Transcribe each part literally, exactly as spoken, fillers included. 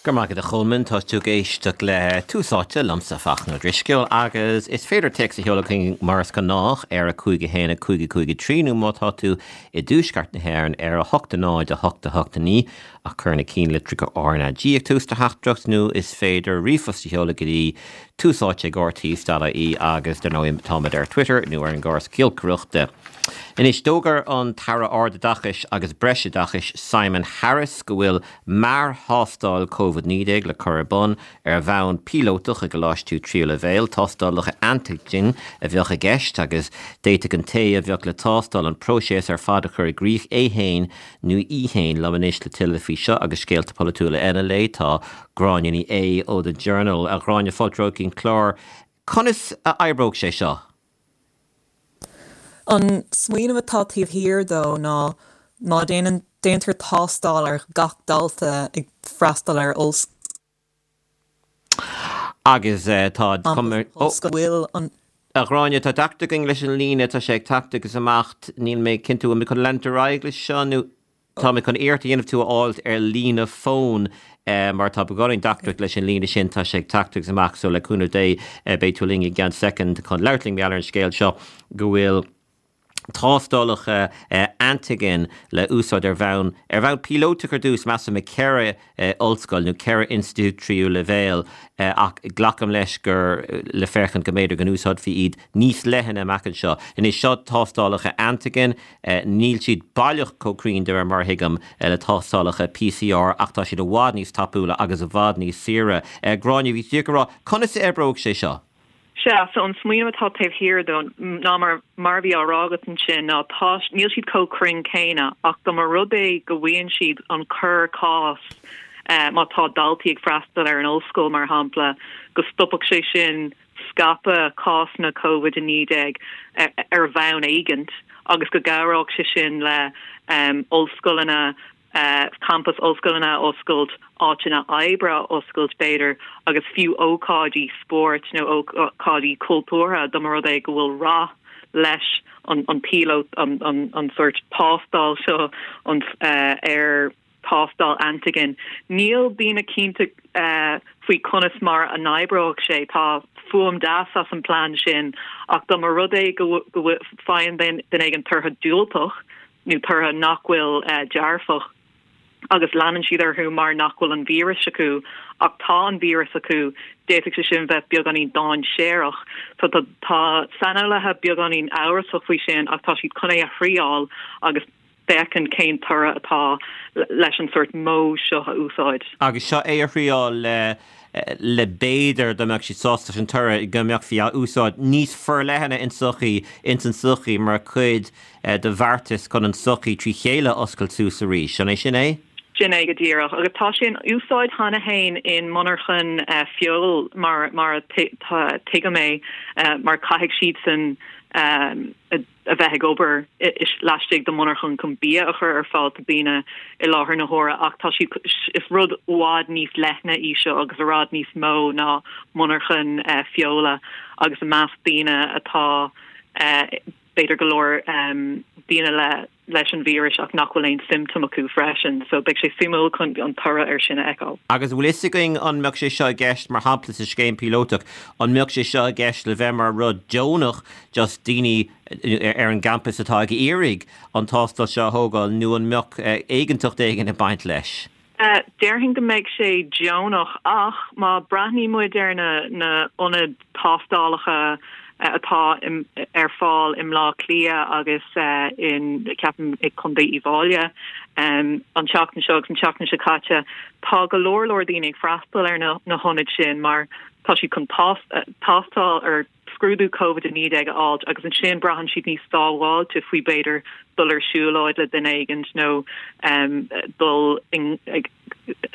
Go maith a Cholmáin tá tú ag éisteacht le Tús Áite liomsa Fachtna Ó Drisceoil agus is féidir téacs a sheoladh mar is gnách ar a cúig a haon a cúig cúig a trí nó má tá tú i dtuaisceart na hÉireann ar a hocht a náid a hocht a hocht a naoi ach cuir na ceannlitreacha RnaG ag tús do theachtaireacht nó is féidir ríomhphost a sheoladh go dtí tús áite ag RTÉ dot ie agus dar ndóigh táimid ar Twitter nó ar an gcóras giolcaireachta. Anois d'fhógair an tAire Ardoideachais agus Breisoideachais Simon Harris go bhfuil mearthástáil COVID naoi déag le cur ar bun ar bhonn píolótach i gcoláistí tríú leibhéal tástálacha antigen a bheadh i gceist agus d'fhéadfadh an té a bheadh le tástáil an próiseas ar fad a chur i gcrích é féin nó í féin liom anois le tuilleadh faoi seo agus scéalta polaitiúla eile le tá Gráinne Ní Aodha ó The Journal a Ghráinne fáilte chuig an clár. Conas a oibreoidh sé seo? An smaoineamh atá taobh thiar dó ná má déanann déantar tástáil ar gach dalta ag freastal ar ollscoil. Agus uh, tá bhfuil an A Ghráinne tá deacracht againn leis an líne tá sé ag teacht agus amach níl mé cinnte mé chun leanúint leis seo nó Tá mé chun iarracht a dhéanamh tú a fháil ar líne fón eh, mar tá beagáinín deacracht leis an líne sin tá sé ag teacht agus amach so le cúnamh Dé eh, beidh tú linn i gceann soicind chun labhairt linn ar an scéal seo go bhfuil tástálacha uh, antigen le úsáid ar bhonn ar bhonn píolótach ar dtús measaim i ceithre uh, ollscoil nó ceithre institiúid tríú leibhéal uh, ach glacaim leis gur le féachaint go mb'fhéidir go n-úsáidfí iad níos leithne amach anseo. Anois seo tástálacha antigen uh, níl siad baileach chomh cruinn de mar thuigim uh, le tástálacha PCR ach tá siad i bhfad níos tapúla agus i bhfad níos saoire. Uh, Gráinne bhí tú ag rá conas a oibreoidh sé seo. Sea so an smaoineamh atá taobh thiar dó ná mar mar bhí á rá agat ansin ná tá níl siad chomh cruinn céanna ach go mar rud é go bhfuil siad an cur cás eh, má tá daltaí ag freastal ar an ollscoil mar shampla go stopfadh sé sin scaipeadh cásanna COVID a naoi déag eh, ar bhonn éigin agus go gcabhródh sé sin le um, ollscoileanna uh, campus ollscoileanna oscailt áiteanna oibre oscailt b'fhéidir agus fiú ócáidí spóirt nó ócáidí cultúrtha dá mar rud é go bhfuil rath leis an, an pilot an, an, an sort tástáil seo an uh, ar tástáil antigen. Níl daoine cinnte uh, faoi conas mar a n-oibreoidh sé tá fuaim deas as an plan sin ach dá mar rud é go bhfaigheann duine éigin tortha diúltach nó tortha nach bhfuil uh, dearfach agus leanann siad orthu mar nach bhfuil an víreas acu ach tá an víreas acu d'fhéadfadh sé sin bheith beagáinín dainséarach so tá tá saineolaithe beagáinín amhrasach faoi sin ach tá siad chun é a thriail agus féachaint cén toradh atá leis an sort modh seo a úsáid. Agus seo é a thriail le le b'fhéidir dá mbeadh siad sásta an toradh go mbeadh sé á úsáid níos forleithne in sochaí ins an sochaí mar chuid eh, de bheartas chun an sochaí trí chéile oscailt suas arís. An é sin é? Sin é go díreach agus tá sé in úsáid cheana féin in monarchan uh, feoil mar mar tuigim é uh, mar caithfidh siad san um, a, a bheith ag obair laistigh de monarchan chun bia a chur ar fáil do daoine i láthair na huaire ach tá si is rud i bhfad níos leithne í seo agus i bhfad níos mó ná monarchan uh, feola agus i measc daoine atá uh, b'fhéidir go leor um, daoine le leis an víreas ach nach bhfuil aon symptom acu freisin, so beidh sé suimiúil chun an toradh ar sin a fheiceáil. Agus bhfuil fhios againn an mbeadh sé seo i gceist mar shampla sa scéim píolótach, an mbeadh sé seo i gceist le bheith mar rud deonach just daoine ar an gcampus atá ag iarraidh an tástáil seo a thógáil nó an mbeadh éigeantacht éigin ag baint leis. Uh, Déarfainn go mbeidh sé deonach ach má breathnaíonn muid ar na na ionaid tástálacha atá ar fáil i mBleá Cliath agus uh, in ceapaim i Contae Uíbh Fhailí um, an tseachtain seo agus an tseachtain seo caite tá go leor leor daoine ag freastal ar na, na hionaid sin mar tá siad chun tástáil ar scrúdú COVID a naoi déag a fháil agus ansin braitheann siad níos sábháilte faoi b'fhéidir dul ar siúlóid le duine éigin nó um, dul ag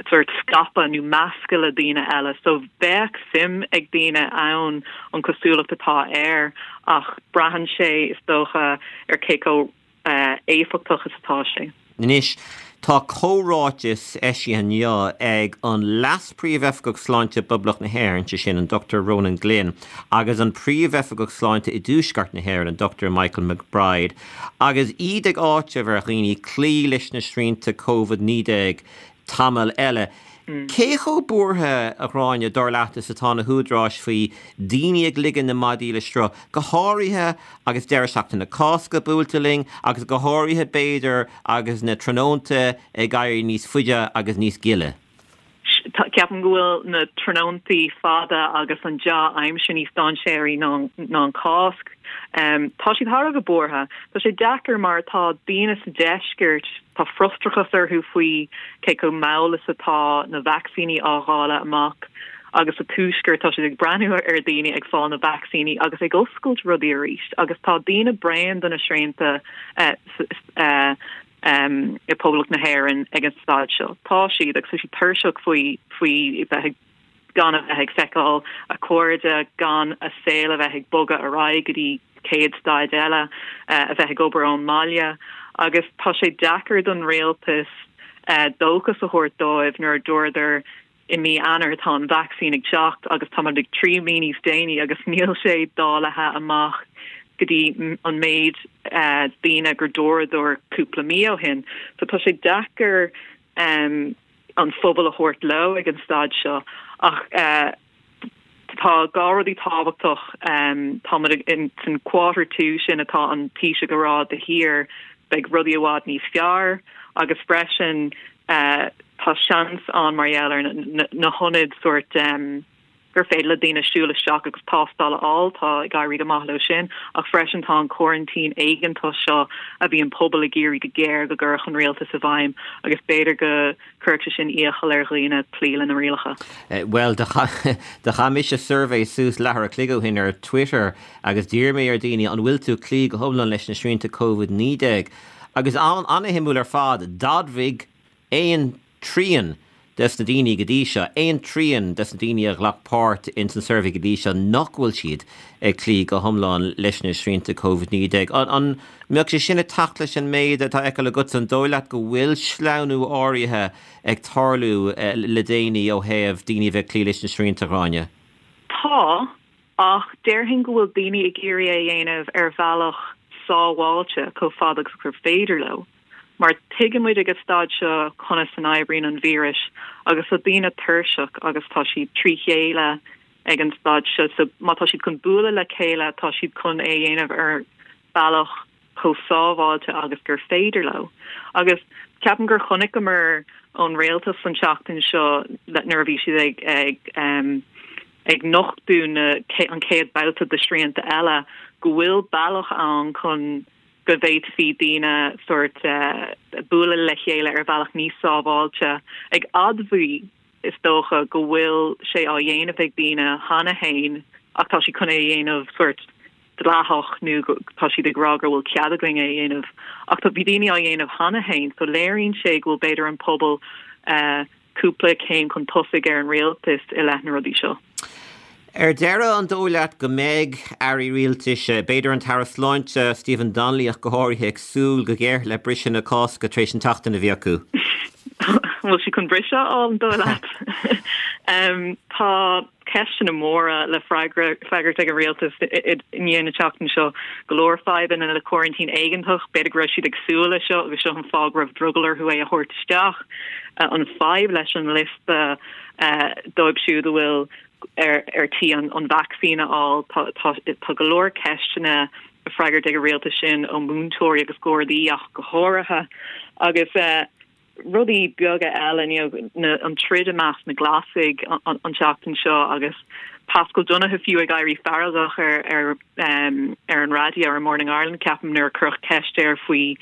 sort scaipeadh nó meascadh le daoine eile so bheadh suim ag daoine ann an cosúlacht atá air ach braitheann sé is dócha ar cé chomh uh, éifeachtach is atá sé. Anois tá comhráiteas eisithe inniu ag an Leas-Phríomhoifigeach Sláinte Poiblí na hÉireann sé sin an Dr Ronan Glynn agus an Príomhoifigeach Sláinte i dTuaisceart na hÉireann an Dr Michael McBride agus iad ag áiteamh ar dhaoine cloí leis na srianta COVID naoi déag tamall eile. Cé chomh buartha, a Ghráinne, dar leat is atá na húdaráis faoi daoine ag ligean na maidí le sruth, go háirithe agus deireadh seachtaine na Cásca buailte linn agus go háirithe b'fhéidir agus na tráthnónta ag éirí níos faide agus níos gile? Ceapaim go bhfuil na tráthnóntaí fada agus an dea-aimsir níos dainséaraí ná an Cásc. Tá siad thar a bheith buartha. Tá sé deacair mar tá daoine sa deisceart, tá frustrachas orthu faoi cé chomh mall is atá na vacsaíní á dháileadh amach agus sa tuaisceart tá siad ag breathnú ar daoine ag fáil na vacsaíní agus ag oscailt rudaí arís agus tá daoine bréan de na srianta i bPoblacht na hÉireann ag an staid seo. Tá siad agus tá siad tuirseach faoi faoi bheith ag gan a bheith ag feiceáil a cairde, gan a saol a bheith ag bogadh ar aghaidh go dtí céad staid eile, a bheith ag obair ón mbaile agus tá sé deacair don rialtas dóchas a thabhairt dóibh nuair a dúradar i mí Eanáir tá an vacsaín ag teacht agus tá ag trí mí níos déanaí agus níl sé dáilte amach go dtí an méid daoine gur dúradar cúpla mí ó shin. So tá sé deacair um, an phobal a thabhairt leo ag an staid seo ach uh, tá dhá rudaí tábhachtach um, tá in san quarter two sin atá an Taoiseach ag rá de shíor beidh rudaí i bhfad níos fearr agus freisin uh, tá seans ann mar gheall ar na, na hionaid sort um, gur féidir le daoine siúl isteach agus tástáil a fháil tá ag éirí go maith leo sin ach freisin tá an coraintín éigeantach seo a bhí an pobal ag iarraidh go géar go gcuirfeadh an rialtas i bhfeidhm agus b'fhéidir go gcuirfeadh sé sin iachall ar dhaoine cloí lena rialacha. Eh, well do chaith mise suirbhé suas leathuair a chloig ó shin ar Twitter agus d'iarr mé ar daoine an bhfuil tú ag cloí go hiomlán leis na srianta Covid naoi déag agus an an-shuimiúil ar fad d'admhaigh aon trian des na daoine go dtí seo, aon trian des na daoine a ghlac páirt in san suirbhé go dtí seo nach bhfuil siad ag cloí go hiomlán leis na srianta Covid naoi déag. An mbeadh sé sin ag teacht leis an méid atá á fheiceáil agat an dóigh leat go bhfuil sleamhnú áirithe ag tarlú le déanaí ó thaobh daoine bheith ag cloí leis na srianta Gráinne? Tá, ach déarfainn go bhfuil daoine ag iarraidh é a dhéanamh ar bhealach sábháilte chomh fada agus gur féidir leo. Mar tuigeann muid ag an staid seo conas a n-oibríonn an víreas agus tá daoine tuirseach agus tá siad trí chéile ag an staid seo so má tá siad chun bualadh le chéile tá siad chun é dhéanamh ar bealach chomh sábháilte agus gur féidir leo. Agus ceapaim gur chonaiceamar ón rialtas an tseachtain seo nuair a bhí siad ag ag um, ag nochtadh na an chéad babhta de srianta eile go bhfuil bealach ann chun go bhféadfaí daoine sort uh, bualadh le chéile ar bhealach níos sábháilte ag admháil is dócha go bhfuil sé á dhéanamh ag daoine cheana féin ach tá siad chun é dhéanamh sort dleathach nó tá siad ag rá go bhfuil cead againn é dhéanamh ach tá bhí daoine á dhéanamh cheana féin so léiríonn sé go bhfuil b'fhéidir an pobal uh, cúpla céim chun tosaigh ar an rialtas i leith na rudaí seo. Ar deireadh an dóigh leat go mbeidh airí rialtais, b'fhéidir an tAire Sláinte Stephen Donnelly ach go háirithe ag súil go géar le briseadh na Cásca tar éis an tseachtain a bhí acu. Bhfuil sí chun briseadh an dóigh leat. um, tá ceisteanna móra le freagairt ag an rialtas i ndiaidh na seachtaine seo go leor fadhbanna le coraintín éigeantach, b'fhéidir go raibh siad ag súil leis seo agus seo an fáth go raibh drogall orthu é a thabhairt isteach. Uh, an fadhb leis an liosta uh, dóibh siúd a bhfuil ar ar tí an an vacsaín a fháil tá tá go leor ceisteanna a freagairt ag an rialtas sin ó múinteoirí agus gardaí ach go háirithe agus uh, rudaí beaga eile na an troid i measc na Glasaigh an, an tseachtain seo agus Paschal Donohoe fiú ag éirí feargach ar ar um, ar an raidió ar Morning Ireland ceapaim nuair a cuireadh ceist air faoi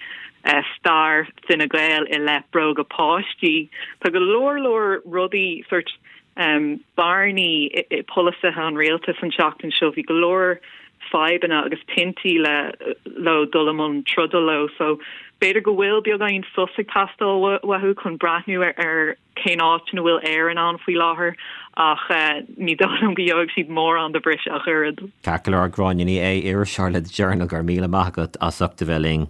uh, stair Fine Gael i leith bróga páistí. Tá go leor leor rudaí sort um, bearnaí i polasaithe an rialtas an tseachtain seo bhí go leor fadhbanna agus tintí le le dul i mbun troda leo so b'fhéidir go bhfuil beagáinín sos ag teastáil uathu chun breathnú ar, ar cén áit ina bhfuil Éire ann faoi láthair ach uh, ní dóigh liom go gheobhaidh siad mórán de bhriseadh ach oiread. Ceart go leor Gráinne Ní Aodha iriseoir le The Journal go raibh míle maith agat as ucht a bheith linn.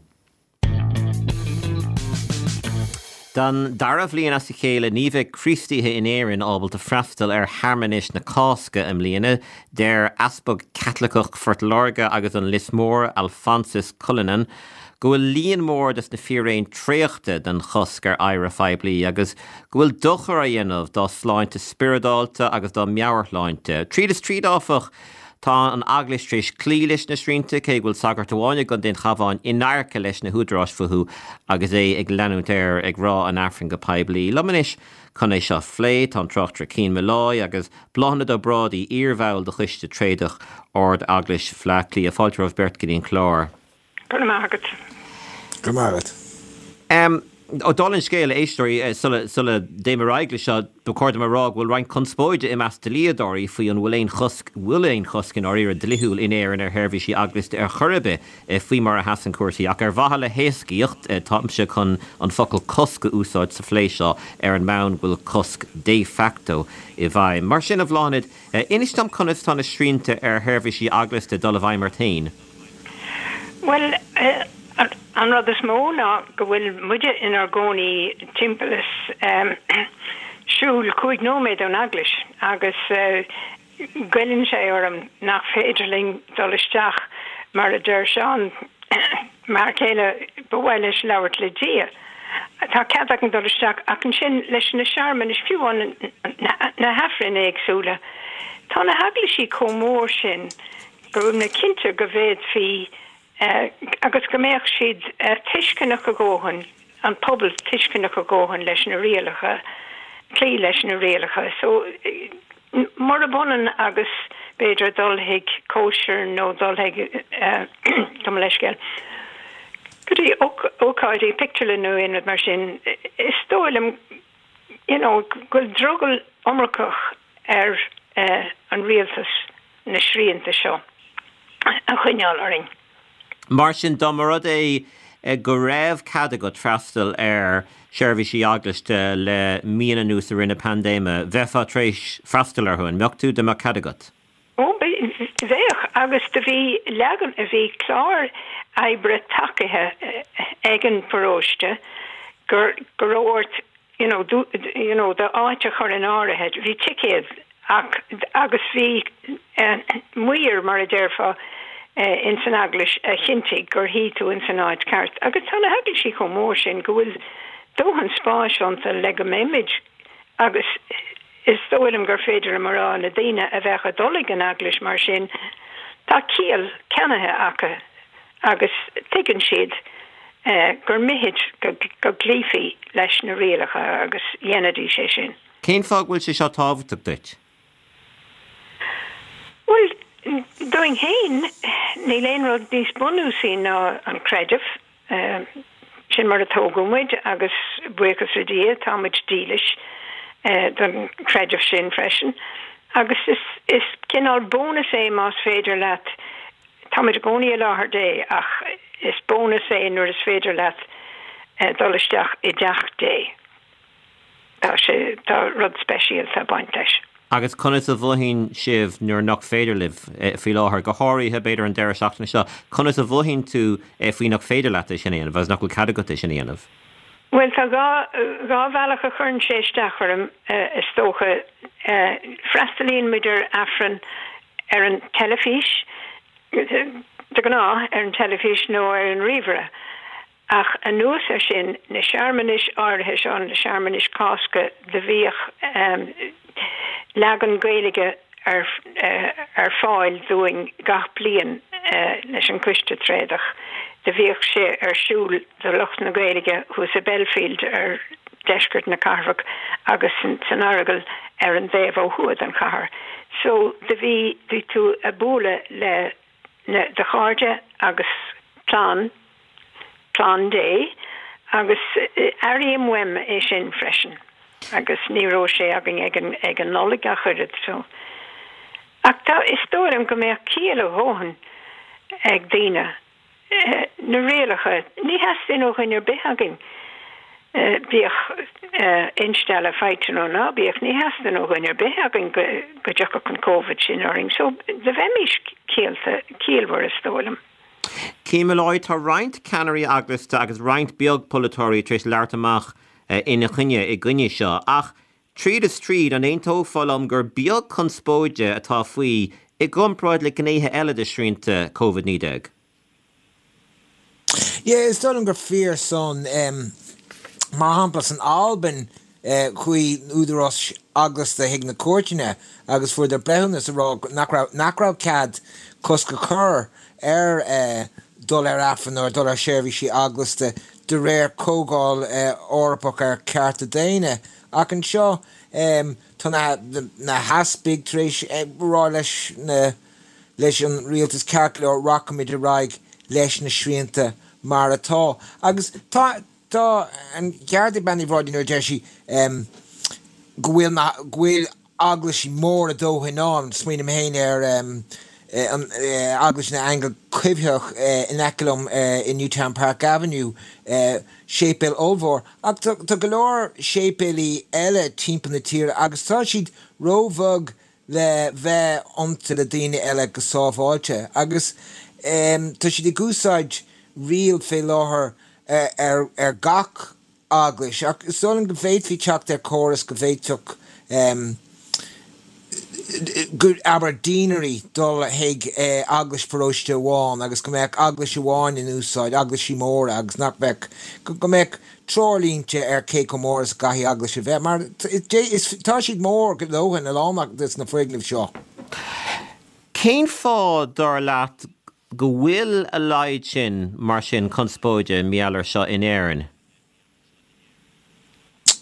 Don dara bhliain as a chéile ní bheidh Críostaithe in Éirinn ábalta freastal ar shearmanais na Cásca i mbliana, deir Easpag Caitliceach Phort Láirge agus an Lios Mór, Alphonsus Cullinan, go bhfuil líon mór des na fíréin traochta den chosc ar adhradh phoiblí agus go bhfuil dochar á dhéanamh dá sláinte spioradálta agus dá meabhairshláinte. Tríd is tríd áfach, tá an Eaglais tar éis cloí leis na srianta cé go bhfuil sagart amháin i gContae an Chabháin in adharca leis na húdaráis fúthu agus é ag leanúint air ag rá an Aifrinn go poiblí. Liom anois chun é seo a phlé, tá an tráchtaire Cian Molloy agus Bláthnaid Ó Brádaigh, iarbhall de Choiste Tréadach Ard-Eaglais Bhaile Átha Cliath. Fáilte romhaibh beirt go dtí an clár. Go raibh maith agat. Go raibh maith agat. Um, ó dála an scéil, a éisteoirí, sula, sula dtéim ar aghaidh leis seo, ba chóir dom a rá go bhfuil roinnt conspóide i measc dlíodóirí faoi an bhfuil aon chosc, bhfuil aon chosc i ndáiríre dlíthiúil in Éirinn ar sheirbhísí eaglasta ar chor ar bith faoi mar a sheasann cúrsaí. Ach ar mhaithe le héascaíocht, táimse chun an focal cosc a úsáid sa phlé seo ar an mbonn go bhfuil cosc de facto i bhfeidhm. Mar sin, a Bhláthnaid, inis dom conas tá na srianta ar sheirbhísí eaglasta ag dul i bhfeidhm ort féin? Bhuel, an rud is mó ná go bhfuil muide inár gcónaí timpeall is siúl cúig nóiméad ón eaglais agus goilleann sé orm nach féidir linn dul isteach mar a deir Seán, m'fhear céile, ba mhaith leis labhairt le Dia. Tá cead againn dul isteach ach ansin leis na searmanais, fiú amháin na hAifrinn éagsúla, tá na heaglaisí chomh mór sin go bhfuil mé cinnte go bhféadfaí agus go mbeadh siad tuisceanach a dhóthain, an pobal tuisceanach a dhóthain leis na rialacha, cloí leis na rialacha. So, murab ionann agus b'fhéidir dul chuig cóisir nó dul chuig, gabh mo leithscéal, go dtí ócáidí pictiúrlann nó aon rud mar sin, is dóigh liom, you know, go bhfuil drogall iomarcach ar an rialtas na srianta seo a choinneáil orainn. Mar sin, dá mba rud é go raibh cead agat freastal ar sheirbhísí eaglasta le míonna anuas i rith na paindéime, bheifeá tar éis freastal orthu, an mbeadh tú, dá mbeadh cead agat? Ó, bheadh, agus do bhí leagan, bhí clár oibre tacaithe ag an bparóiste gur, go raibh ort you know, you know, d'áit a chur in áirithe, bhí ticéad ach, agus bhí maor, mar a déarfá, ins an eaglais a chinntigh gur shuigh tú ins an áit ceart. Agus tá na heaglaisí chomh mór sin go bhfuil dóthain spáis iontu le go mbeimid agus is dóigh liom gur féidir liom a rá na daoine a bheadh ag dul ag an eaglais mar sin, tá ciall ceannaithe acu agus tuigeann siad gur mithid go gcloífí leis na rialacha agus dhéanfaidís é sin. Cén fáth go bhfuil sé seo tábhachtach duit? Bhuel, dúinn féin, níl aon rud níos bunúsaí ná an creideamh. Sin mar a tógadh muid agus buíochas le Dia tá muid dílis don chreideamh sin freisin. Agus is cineál bónas é más féidir leat Táimid i gcónaí i láthair Dé ach is bónas é nuair is féidir leat dul isteach i dteach Dé. Tá sé, tá rud speisialta ag baint leis. Agus conas a mhothaíonn sibh nuair nach féidir libh faoi láthair, go háirithe b'fhéidir an deireadh seachtaine seo, conas a mhothaíonn tú faoi nach féidir leat é sin a dhéanamh agus nach bhfuil cead agat é sin a dhéanamh? Bhuel, tá dhá, dhá bhealach a chuireann sé isteach orm, is dócha. Freastalaíonn muid ar Aifreann ar an teilifís, de ghnáth ar an teilifís nó ar an ríomhaire. Ach anuas air sin, na searmanais áirithe seo, na searmanais Cásca, do bhíodh leagan Gaeilge ar ar fáil dúinn gach bliain leis an Coiste Tréadach. Do bhíodh sé ar siúl do lucht na Gaeilge thuas i Belfield ar deisceart na cathrach agus san Earagail ar an dtaobh ó thuaidh den chathair. So do bhí, bhí tú ag bualadh le na, do chairde agus clann, clann Dé agus airím uaim é sin freisin agus ní raibh sé againn ag an, ag an Nollaig ach oiread so. Ach tá, is dóigh liom go mbeadh ciall a dhóthain ag daoine na rialacha, ní theastaíonn ó dhuine ar bith againn, bíodh instealladh faighte nó ná bíodh, ní theastaíonn ó dhuine ar bith againn go dtiocfadh an Covid sin orainn. So, do bheimis ciallta, ciallmhar is dóigh liom. Cian Molloy, Tá roinnt ceannairí eaglasta agus roinnt beag polaiteoirí tar éis labhairt amach ina choinne, i gcoinne seo, ach tríd is tríd, an aontófá liom gur beag conspóide atá faoi i gcomparáid le gnéithe eile de shrianta Covid naoi déag? Yeah, is dóigh liom gur fíor san um, mar shampla san Albain eh, chuaigh údarás eaglasta chuig na cúirteanna agus fuaireadar breithiúnas a rá nach raibh nach raibh cead cosc a chur ar eh, dul ar Aifreann nó dul ar seirbhísí eaglasta de réir Comhdháil eh, Eorpach ar Cearta Daonna. Ach anseo um, tá na, na heaspaig tar éis eh, rá leis na leis an rialtas ceart go leor rachaimid ar aghaidh leis na srianta mar atá. Agus tá tá an ceart ag Bean Uí Bhrádaigh nuair a deir sí um, go bhfuil na go bhfuil eaglaisí móra a dóthain ann smaoiním féin ar um, an Eaglais na nAingeal Coimhthíoch in aice liom i Newtown Park Avenue, séipéal ollmhór. Ach tá go leor séipéilí eile timpeall na tíre agus tá siad róbheag le bheith iontu le daoine eile go sábháilte. Agus tá siad ag úsáid riail fé láthair ar ar gach eaglais. Ach is dóigh liom go bhféadfaí teacht ar chóras go bhféadfadh go abair deanery dul chuig eaglais paróiste amháin agus go mbeadh eaglais amháin in úsáid, eaglaisí móra agus nach mbeadh go mbeadh treoirlínte ar cé chomh mór is a gcaithfidh eaglais a bheith mar tá siad mór go dóthain a lán de na foirgnimh seo. Cén fáth dar leat go bhfuil a laghad sin mar sin conspóide mar gheall air seo in Éirinn?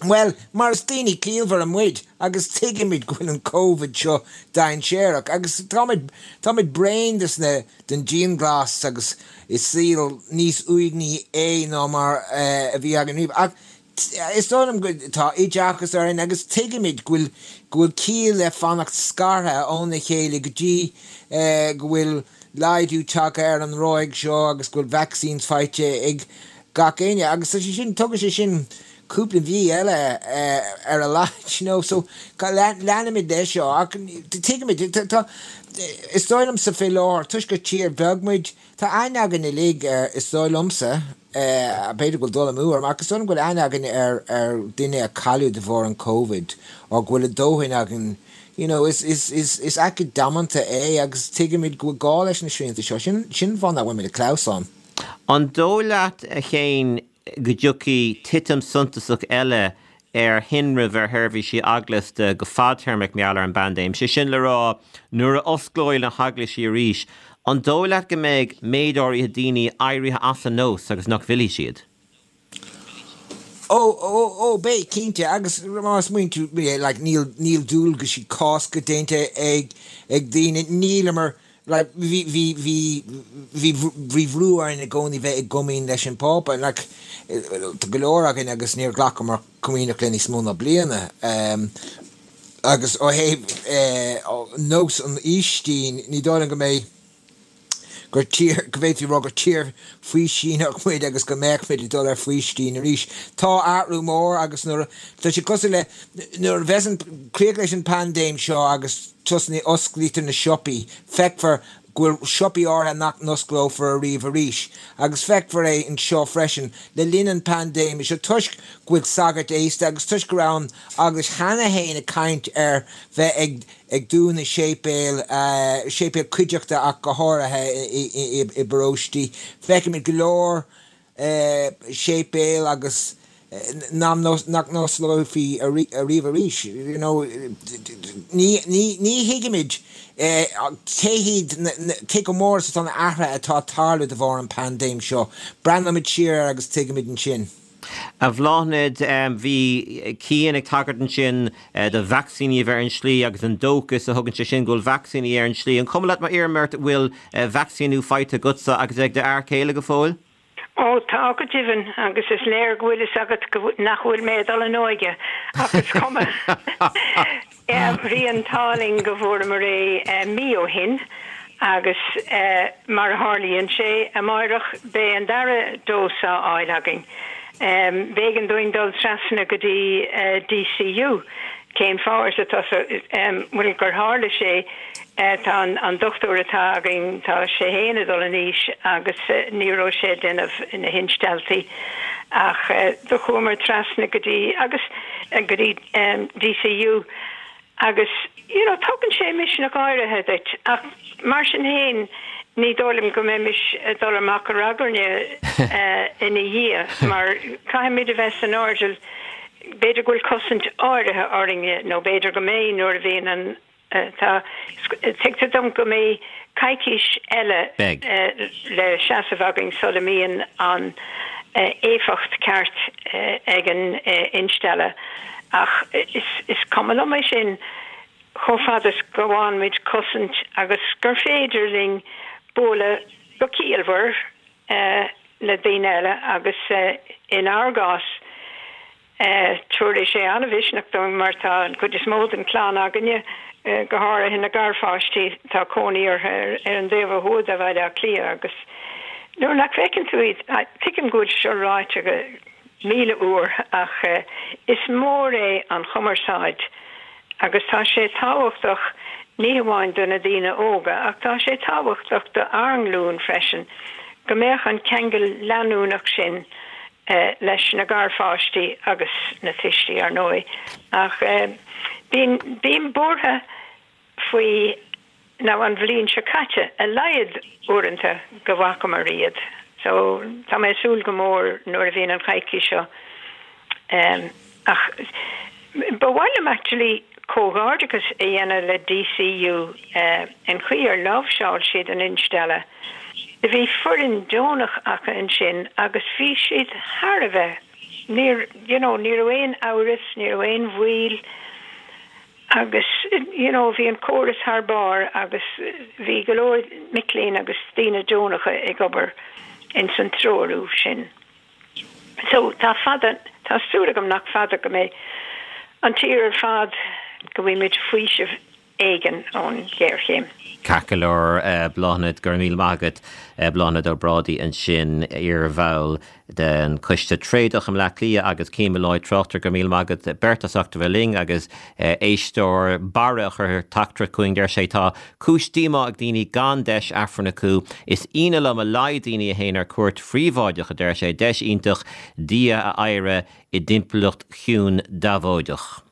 Well, mar is daoine ciallmhara muid agus tuigimid go bhfuil an Covid seo dainséarach agus táimid táimid bréan des na den dianghlas agus is saol níos uaigní é ná mar uh, a bhí againn riamh. Ach is dóigh liom go tá oideachas orainn agus tuigimid go bhfuil go bhfuil ciall le fanacht scartha óna chéile go dtí uh, go bhfuil laghdú tagtha ar an ráig seo agus go bhfuil vaccines faighte ag gach éinne agus tá sé sin tugann sé sin cúpla mhí eile ar a laghad you know so leanfaimid leis seo ach tuigimid tá is dóigh liomsa fé láthair toisc gur tír bheag muid tá aithne againn uilig ar is dóigh liomsa b'fhéidir go bhfuil dul amú orm ach is dóigh liom go bhfuil aithne againn ar ar duine a cailleadh de bharr an Covid ó go bhfuil a dóthain againn you know is is is is aicíd damanta é agus tuigimid go bhfuil gá leis na srianta seo sin sin fáth nach bhfuil muid ag clamhsán. An dóigh leat a Chéin go dtiocfaidh titim suntasach eile ar thinreamh ar sheirbhísí eaglasta go fadtéarmach mar gheall ar an bpaindéim. Sé sin le rá nuair a osclóidh na heaglaisí arís, an dóigh leat go mbeidh méid áirithe daoine éirithe as an nós agus nach bhfillfidh siad? Ó ó ó beidh cinnte agus má smaoiníonn tú like níl níl dualgaisí Cásca déanta ag ag daoine nílamar like bhí bhí bhí bhí bhí brú orainn i gcónaí bheith i gcomaoin leis an bPápa like tá go leor againn agus níor ghlacamar comaoineach le níos mó ná bliana um, agus ó thaobh eh, nós an Fhaoistin ní dóigh liom go mbeidh gur tír go bhféadfaí rá gur tír faoistíneach muid agus go mbeadh muid ag dul ar faoistín arís. Tá athrú mór agus nuair tá sé cosúil le nuair a bheas an críoch leis an paindéim seo agus tosnaí osclaítear na siopaí, feicfear go bhfuil siopaí áirithe nach n-osclófar ariamh arís. Agus feicfear é anseo freisin le linn an paindéime seo toisc go bhfuil sagairt aosta agus toisc go raibh an eaglais cheana féin ag caint ar bheith ag ag dúnadh séipéil, séipéil cuideachta ach go háirithe i bparóistí. Feicimid go leor séipéil agus nach n-osclófaí ariamh arís. You know, ní ní thuigimid cé hiad cé chomh mór is atá na athruithe atá ag tarlú de bharr an paindéim seo. Breathnóimid siar air agus tuigimid ansin. A Bhláthnaid, bhí Cian ag tagairt ansin do vacsaíní a bheith ar an slí agus an dóchas a thugann sé sin go bhfuil vacsaíní ar an slí. An cuma leat má iarraim ort bhfuil vacsaíniú faighte agatsa agus ag d'fhear céile go fóill? Ó tá go deimhin agus is léir go bhfuil fhios agat go nach bhfuil mé ag dul in óige ach is cuma. Bhí an t-ádh linn go bhfuaireamar é mí ó shin agus mar a tharlaíonn sé amáireach beidh an dara dós á fháil againn. B'éigean dúinn dul trasna go dtí DCU. Cén fáth arsa tusa? Bhuel gur tharla sé tá an dochtúir atá againn tá sé féin ag dul in aois agus ní raibh sé ag déanamh na hinstealltaí ach do chuamar trasna go dtí agus go dtí DCU. Agus you know, tugann sé misneach áirithe duit ach mar sin féin ní dóigh liom go mbeimis ag dul amach ar ragairne uh, ina dhiaidh mar caithfimid a bheith san airdeall b'fhéidir go bhfuil cosaint áirithe orainne nó b'fhéidir go mbeidh nuair a bhíonn an uh, tá tuigtear dom go mbeidh coicís eile uh, le seasamh againn sula mbíonn an uh, éifeacht ceart uh, ag an uh, instealladh ach is, is cuma liom é sin chomh fada is go bhfaighimid cosaint agus gur féidir linn bualadh go ciallmhar uh, le daoine eile agus uh, inár gcás uh, tabharfaidh sé an-mhisneach dom mar tá an chuid is mó den chlann againne uh, go háirithe na garpháistí tá cónaí orthu ar, ar an dtaobh thuaidh de Bhaile Átha Cliath agus nuair nach bhfeiceann tú iad tuigim go bhfuil seo ráite go míle uair ach uh, is mór é an chumarsáid agus tá sé tábhachtach ní hamháin do na daoine óga ach tá sé tábhachtach do ár nglúin freisin go mbeadh an ceangal leanúnach sin uh, leis na garpháistí agus na tuistí ar ndóigh ach uh, bím bím buartha faoi ná an bhliain seo caite a laghad uaireanta go bhfacamar iad. So tá mé ag súil go mór nuair a bhíonn an choicís seo. Um, ach ba mhaith liom actually comhghairdeachas a dhéanamh le DCU uh, an chaoi ar láimhseáil siad an instealladh. Bhí foireann deonach acu ansin agus bhí siad thar a bheith. Níor you know, ní raibh aon amhras, ní raibh aon mhoill agus you know, bhí an córas thar barr agus bhí go leor mic léinn agus daoine deonacha ag obair in san treorú sin. So tá fada tá súil agam nach fada go mbeidh an tír ar fad go bhfaighimid faoiseamh éigin ón ghéarchéim. Ceart go leor uh, Bláthnaid go raibh míle maith agat uh, Bláthnaid Ó Brádaigh ansin iarbhall den Choiste Tréadach i mBleá Cliath agus Cian Molloy tráchtaire go raibh míle maith agat beirt as ucht a bheith linn agus uh, éisteoir Barra a chuir teachtaireacht chugainn deir sé tá cúis díomá ag daoine gan deis Aifreann acu is ionadh liom a laghad daoine a théann ar cuairt phríobháideach a deir sé deis iontach Dia a adhradh i dtimpeallacht chiúin deabhóideach.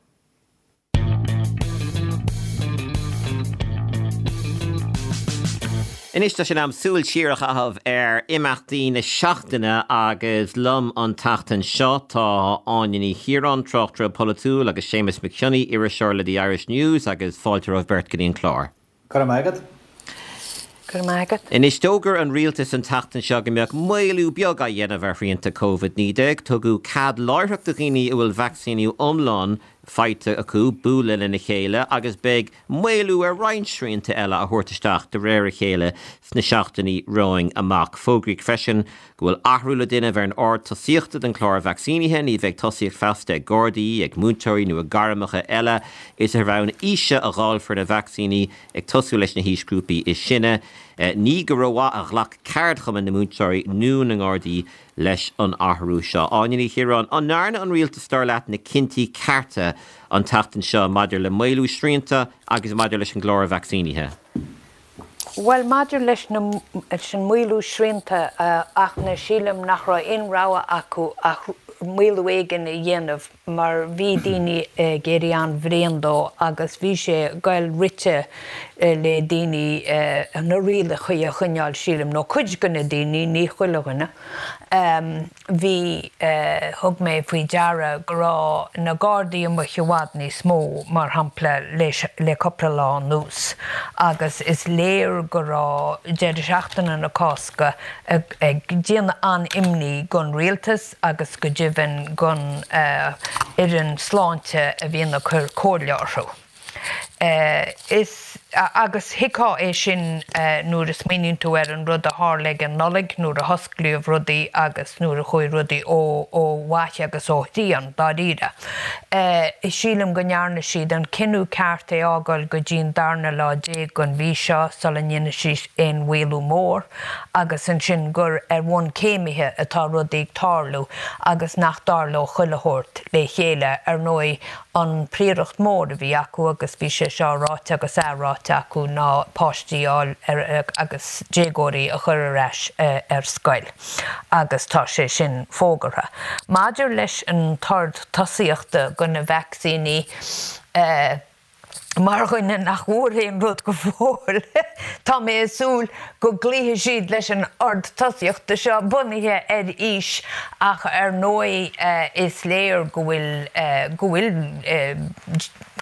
Anois tá sé in am súil siar a chaitheamh ar imeachtaí na seachtaine agus liom an tseachtain seo tá Áine Ní Chiaráin tráchtaire polaitiúil agus Séamus Mac Cionnaith iriseoir le The Irish News agus fáilte romhaibh beirt go dtí an clár. Go raibh maith agat? Go raibh maith agat. Anois d'fhógair an rialtas an tseachtain seo go mbeadh maolú beag á dhéanamh ar shrianta Covid naoi déag, tugadh cead láithreach do dhaoine a bhfuil vacsaíniú iomlán faighte acu bualadh lena chéile agus beidh maolú ar roinnt srianta eile a thabhairt isteach de réir a chéile sna seachtainí romhainn amach. Fógraíodh freisin go bhfuil athrú le déanamh ar an ord tosaíochta den chlár vacsaínithe, ní bheidh tosaíocht feasta ag Gardaí, ag múinteoirí nó ag gairmeacha eile. Is ar bhonn aoise a dháilfear na vacsaíní ag tosú leis na haoisghrúpaí is sine. Ní go rómhaith a ghlac ceardchumainn na múinteoirí nó na nGardaí leis an athrú seo. Áine Ní Chiaráin, an ndearna an rialtas dar leat na cinntí cearta an tseachtain seo maidir le maolú srianta agus maidir leis an gclár vacsaínithe? Well maidir leis na leis an maolú srianta ach na sílim nach raibh aon rogha acu ach maolú éigin a dhéanamh mar bhí daoine ag éirí an-bhréan dó agus bhí sé ag goil rite le daoine na rialacha a choinneáil sílim nó cuid de na daoine ní chuile dhuine. Bhí thug mé faoi deara go raibh na Gardaí amuigh i bhfad níos mó mar shampla leis le cúpla lá anuas agus is léir go raibh deireadh seachtaine na Cásca ag déanamh an-imní don rialtas agus go deimhin don fhoireann sláinte a bhíonn ag cur comhairle orthu. Is agus thuigfeá é sin nuair a smaoiníonn tú ar an rud a tharla ag an Nollaig nuair a hosclaíodh rudaí agus nuair a chuaigh rudaí ó ó mhaith agus ó dhian dáiríre. Sílim go ndearna siad an cinneadh ceart é fhágáil go dtí an darna lá déag den mhí seo sula ndéanfaidh siad aon mhaolú mór agus ansin gur ar bhonn céimithe atá rudaí ag tarlú agus nach dtarlódh chuile shórt le chéile. Ar ndóigh an phríoracht mór a bhí acu agus bhí sé seo ráite agus athráite acu ná páistí a fháil agus déagóirí a chur ar ais ar scoil agus tá sé sin fógartha. Maidir leis an t-ord tosaíochta do na vacsaíní, Mar dhuine nach bhfuair aon rud go fóill, tá mé ag súil go gcloífidh siad leis an ord tosaíochta seo bunaithe ar aois ach ar ndóigh is léir go bhfuil go bhfuil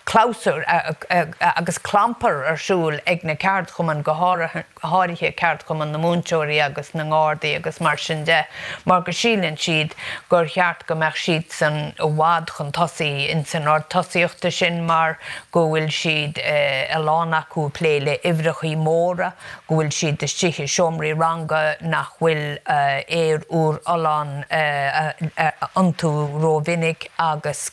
clabhsúr agus clampar ar siúl ag na ceardchumainn, go háirithe ceardchumann na múinteoirí agus na nGardaí agus mar sin de, mar go síleann siad gur cheart go mbeadh siadsan i bhfad chun tosaigh ins an ord tosaíochta sin mar go bhfuil siad, a lán acu, ag plé le uimhreachaí móra, go bhfuil siad istigh i seomraí ranga nach bhfuil aer úr fholláin iontu rómhinic agus.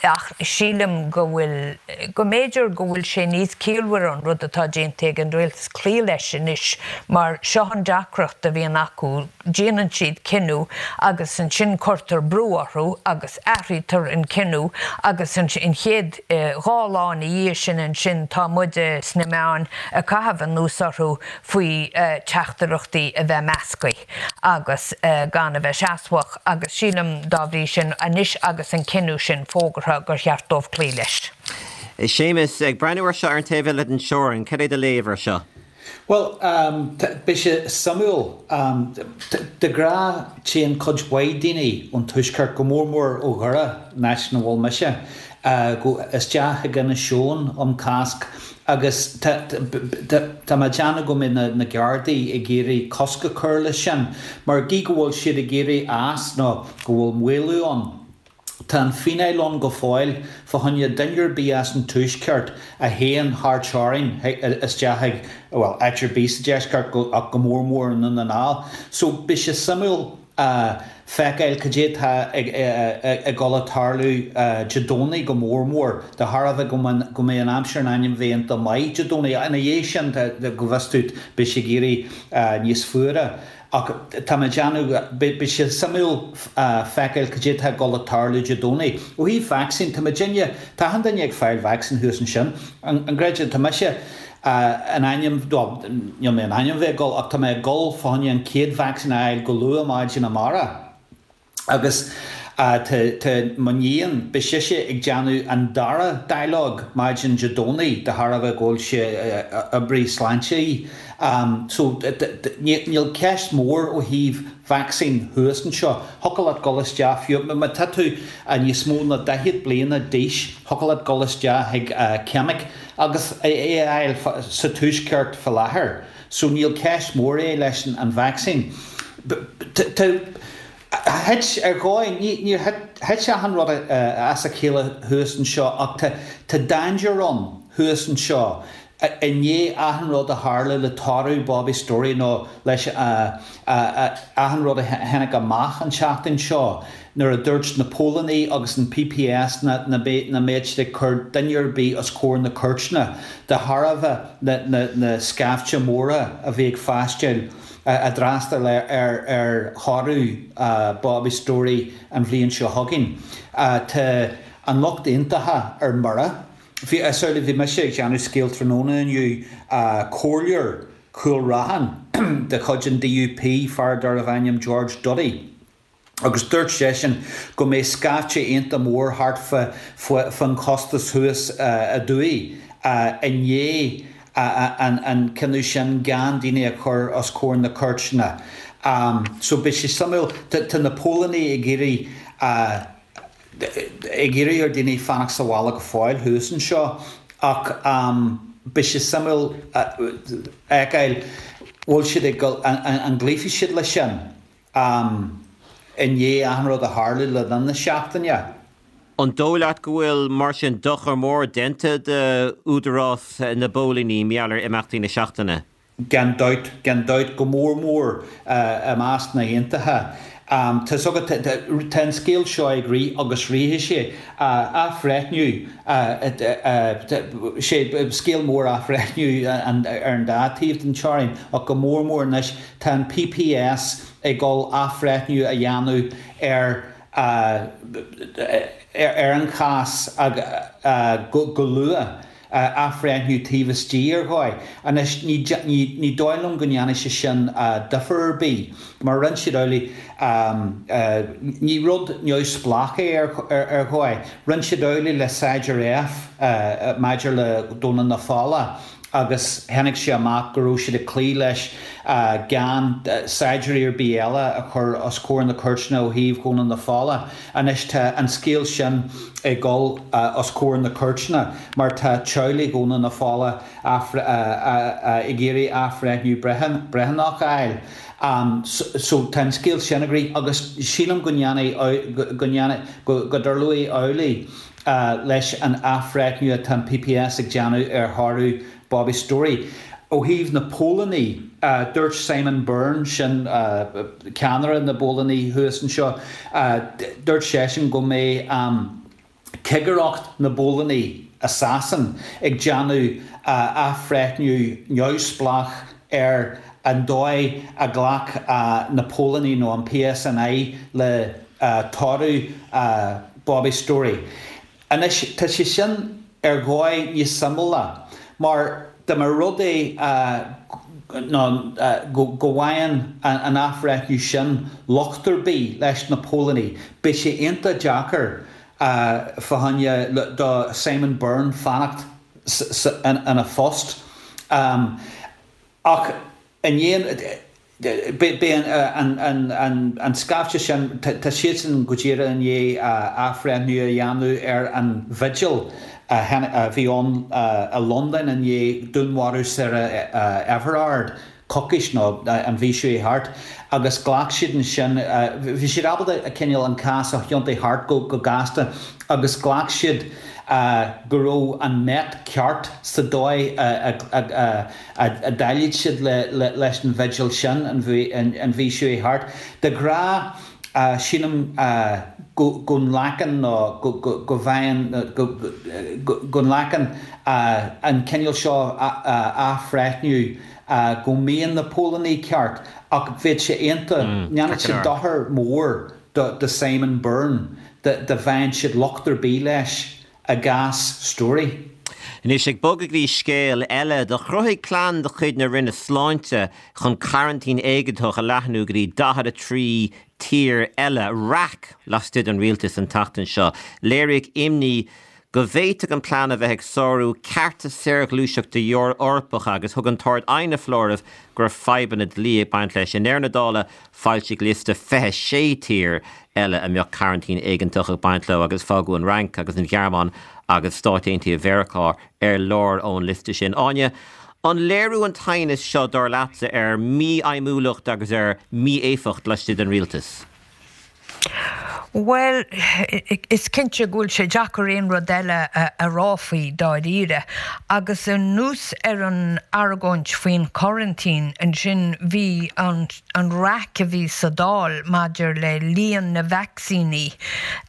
Ach sílim go bhfuil, go mb'fhéidir go bhfuil sé níos ciallmhaire an rud atá déanta ag an rialtas cloí leis anois mar seo an deacracht a bhíonn acu, déanann siad cinneadh agus ansin cuirtear brú orthu agus athraítear an cinneadh agus an chéad dhá lá ina dhiaidh sin ansin tá muide sna meáin ag caitheamh anuas orthu faoi teachtaireachtaí a bheith measctha agus gan a bheith seasmhach agus sílim dá bhrí sin anois agus an cinneadh sin fógartha gur cheart dóibh cloí leis. Séamus, ag breathnú ar seo ar an taobh eile den teorainn, cad é do léamh ar seo? Bhuel, beidh sé suimiúil. De ghnáth téann cuid mhaith daoine ón Tuaisceart, go mór mór ó Dhoire, an áit ina bhfuil mise, go isteach chuig Inis Eoghain um Cásc agus tá mé ag déanamh go mbeidh na Gardaí ag iarraidh cosc a chur leis sin mar gí go bhfuil siad ag iarraidh as nó go bhfuil maolú ann. Tá an fíneáil ann go fóill fá choinne duine ar bith as an Tuaisceart a théann thar teorainn isteach chuig, bhuel, áit ar bith sa deisceart ach go mór mór i nDún na nGall. So beidh sé suimiúil feiceáil cad é atá ag dul a tarlú Dé Domhnaigh go mór mór, de thairbhe go mbeidh an aimsir in ainm bheith iontach maith Dé Domhnaigh. Ina dhiaidh sin, go bhfios duit, beidh sé ag éirí níos fuaire. Ach tá mé ag déanamh, beidh sé suimiúil feiceáil cad é atá ag dul a tarlú Dé Domhnaigh. Ó thaobh vacsaín, tá muidinne, tá achan duine ag fáil vacsaín thuas ansin. An gcreideann, tá mise in ainm, bhuel, níl mé in ainm bheith ag dul ach tá mé ag dul fá choinne an chéad vacsaín a fháil go luath maidin amárach. Agus tá mo níon, beidh sise ag déanamh an dara dáileog maidin Dé Domhnaigh de thairbhe go bhfuil sí, oibrí sláinte í. So níl ceist mhór ó thaobh vacsaín thuas anseo. Thiocfadh leat dul isteach fiú má tá tú níos mó ná daichead bliana d'aois, thiocfadh leat dul isteach chuig ceimic agus é a fháil sa tuaisceart faoi láthair. So níl ceist mhór é leis an vacsaín. Thit, ar dhóigh, níor thit achan rud as a chéile thuas anseo ach tá dainséar ann thuas anseo i ndiaidh achan rud a tharla le toradh Bobby Storey nó leis achan rud a tháinig amach an tseachtain seo nuair a dúirt na póilíní agus an PPS nach mbeadh siad ag cur duine ar bith os comhair na cúirteanna de thairbhe na scaifte móra a bhí ag freastal a d'fhreastail ar thoradh Bobby Storey an bhliain seo chugainn. Tá an lucht aontaithe ar mire. Bhí, sorry, bhí mise ag déanamh scéal tráthnóna inniu, comhairleoir Chúil Raithin de chuid an DUP, fear darbh ainm George Duddy, agus dúirt seisean go mbeidh scaifte iontach mór thart fán chósta thuas aduaidh i ndiaidh an cinneadh sin gan daoine a chur os comhair na cúirteanna. So beidh sé suimiúil, tá na póilíní ag iarraidh ag iarraidh ar daoine fanacht sa bhaile go fóill thuas anseo ach beidh sé suimiúil fheiceáil bhfuil siad ag dul, an gcloífidh siad leis sin i ndiaidh achan rud a tharla le linn na seachtaine. An dóigh leat go bhfuil, mar sin, dochar mór déanta d'údarás na bpóilíní mar gheall ar imeachtaí na seachtaine? Gan dabht, gan dabht, go mór mór i measc na n-aontaithe. Tá's agat, tá an scéal seo ag rith agus rithfidh sé. Athbhreithniú, sé scéal mór athbhreithniú ar an dá taobh den teorainn ach go mór mór anois tá an PPS ag dul athbhreithniú a dhéanamh ar ar an chás go luath. athbhreithniú taobh istigh ar dhóigh. Anois ní dóigh liom go ndéanfaidh sé sin difear ar bith mar rinne siad amhlaidh, ní rud neamhspleách é ar dhóigh, rinne siad amhlaidh le Saighdiúir F maidir le Domhnach na Fola. agus tháinig sé amach go raibh siad ag cloí leis gan saighdiúirí ar bith eile a chur os comhair na cúirteanna ó thaobh Dhomhnach na Fola. Anois tá an scéal sin ag dul os comhair na cúirteanna mar tá teaghlaigh Dhomhnach na Fola ag iarraidh athbhreithniú breithiúnach a fháil. So tá an scéal sin ag rith agus sílim go ndéanfaidh, go ndéanfaidh, go dtarlóidh amhlaidh leis an athbhreithniú atá an PPS ag déanamh ar thoradh Bobby Storey. Ó thaobh na póilíní, dúirt Simon Byrne, sin ceannaire na bpóilíní thuas anseo, dúirt seisean go mbeidh cigireacht na bpóilíní i Sasain ag déanamh athbhreithniú neamhspleách ar an dóigh a ghlac na póilíní nó an PSNI le toradh Bobby Storey. Anois, tá sé sin ar dhóigh níos suimiúla mar dá mba rud é go bhfaigheann an athbhreithniú sin locht ar bith leis na póilíní, beidh sé iontach deacair fá choinne do Simon Byrne fanacht ina phost. Ach i ndiaidh, beidh an scaifte sin, tá siadsan go díreach i ndiaidh athbhreithniú a dhéanamh ar an bhigil a bhí ann i Londain i ndiaidh dúnmharú Sarah Everard coicís nó an mhí seo thart agus ghlac siad ansin, bhí siad ábalta cineál an cás a thiontú thart go gasta agus ghlac siad go raibh an Met ceart sa dóigh a dhéileáil siad leis an bhigil sin an mhí seo thart. De ghnáth, sílim go nglacann nó go bhfaigheann, go nglacann an cineál seo athbhreithniú go mbíonn na póilíní ceart ach bheadh sé iontach, ndéanfadh sé dochar mór do Simon Byrne dá bhfaigheann siad locht ar bith leis i gcás Storey. Anois, ag bogadh go dtí scéal eile, do chruthaigh plean de chuid na Roinne Sláinte chun coraintín éigeantach a leathnú go dtí daichead a trí tír eile raic laistigh den rialtas an tseachtain seo. Léiríodh imní go bhféadfadh an plean a bheith ag sárú cearta saorghluaiseachta Eorpacha agus thug an tArd-Aighne foláireamh go raibh fadhbanna dlí ag baint leis. I ndeireadh na dála, foilsíodh liosta fiche sé tír eile a mbeadh coraintín éigeantach ag baint leo agus fágadh an Fhrainc agus an Ghearmáin agus Stáit Aontaithe Mheiriceá ar lár ón liosta sin. Áine, an léiriú an t-aighneas seo, dar leatsa, ar mhífheidhmiúlacht agus ar mhí-éifeacht laistigh den rialtas? Bhuel, is cinnte go bhfuil sé deacair aon rud eile a rá faoi dáiríre. Agus anuas ar an argóint faoin choraintín, ansin bhí an an raic a bhí sa Dáil maidir le líon na vacsaíní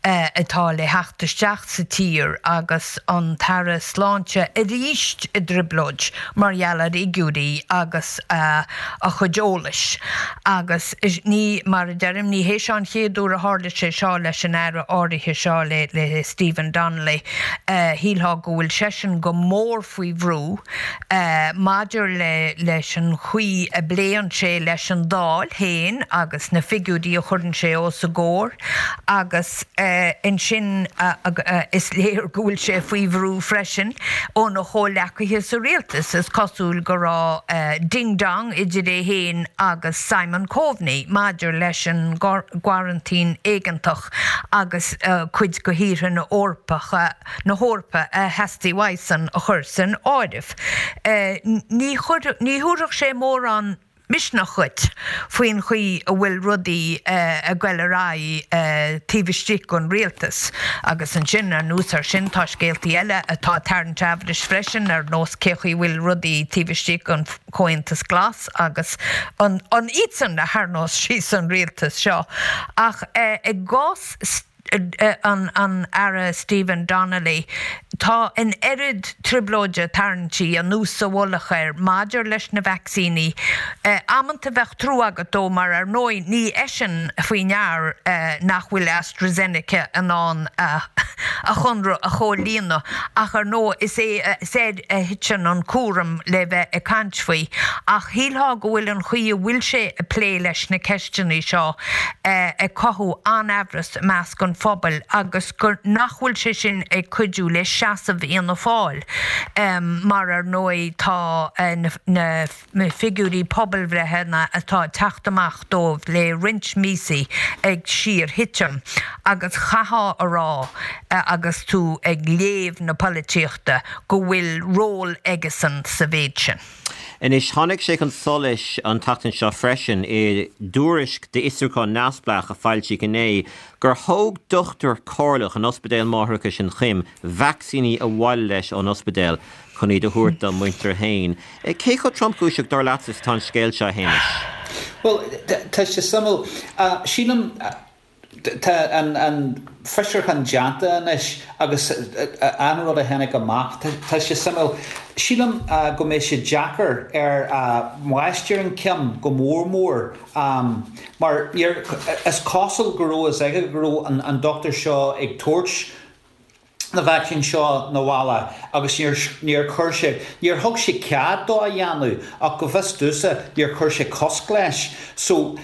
atá le theacht isteach sa tír agus an tAire Sláinte arís i dtrioblóid mar gheall ar fhigiúirí agus a chuid eolais. Agus ní, mar a deirim, ní hé seo an chéad uair a tharla sé seo leis an Aire áirithe seo, le Stephen Donnelly. Shílfeá go bhfuil seisean go mór faoi bhrú maidir le leis an chaoi a bpléann sé leis an Dáil féin agus na figiúirí a chuireann sé os a gcomhair agus ansin is léir go bhfuil sé faoi bhrú freisin óna chomhleacaithe sa rialtas. Is cosúil go raibh ding dong idir é féin agus Simon Coveney maidir leis an gcoraintín éigeantach agus cuid de thíortha na hEorpacha na hEorpa a theastaigh uaidhsean a chur san áireamh. Ní ní thabharfadh sé mórán misneach dhuit faoin chaoi a bhfuil rudaí ag goil ar aghaidh taobh istigh den rialtas. Agus ansin, anuas air sin, tá scéaltaí eile atá ag tarraingt amhrais freisin, ar nós cé chaoi a bhfuil rudaí taobh istigh den Chomhaontas Glas agus an iadsan a tharraingeos síos an rialtas seo. Ach i gcás an an Aire Stephen Donnelly, tá an oiread trioblóide tarraingthe anuas sa mhullach air maidir leis na vacsaíní. Amanta bheadh trua agat dó mar ar ndóigh ní eisean faoi ndear nach bhfuil AstraZeneca in ann a chonradh a chomhlíonadh ach ar ndóigh is é is air a thiteann an cúram le bheith ag caint faoi. Ach shílfeá go bhfuil an chaoi a bhfuil sé ag plé leis na ceisteanna seo ag cothú an-amhras i measc an phobail agus gur nach bhfuil sé sin ag cuidiú le seasamh Fhianna Fáil mar ar ndóigh tá na figiúirí pobalbhreitheanna atá ag teacht amach dóibh le roinnt míosaí ag síor-thitim agus chaithfeá a rá agus tú ag léamh na polaitíochta go bhfuil ról aigesan sa mhéid sin. Anois, tháinig sé chun solais an tseachtain seo freisin i dtuairisc d'fhiosrúchán neamhspleách a foilsíodh inné gur thóg dochtúir comhairleach in Ospidéal Máithreachais an Choim vacsaíní abhaile leis ón ospidéal chun iad a thabhairt dá muintir féin. Cé chomh tromchúiseach dar leatsa is atá an scéal seo, a Shéamais? Bhuel, tá sé suimiúil. Sílim. Tá an fiosrúchán déanta anois agus an rud a tháinig amach, tá sé suimiúil. Sílim go mbeidh sé deacair ar mháistir an Cim go mór mór mar is cosúil go raibh fhios aige go raibh an dochtúir seo ag tabhairt na vacsaín seo 'na bhaile agus níor, níor chuir sé, níor thug sé cead dó a dhéanamh ach go bhfios domhsa níor chuir sé cosc leis. So,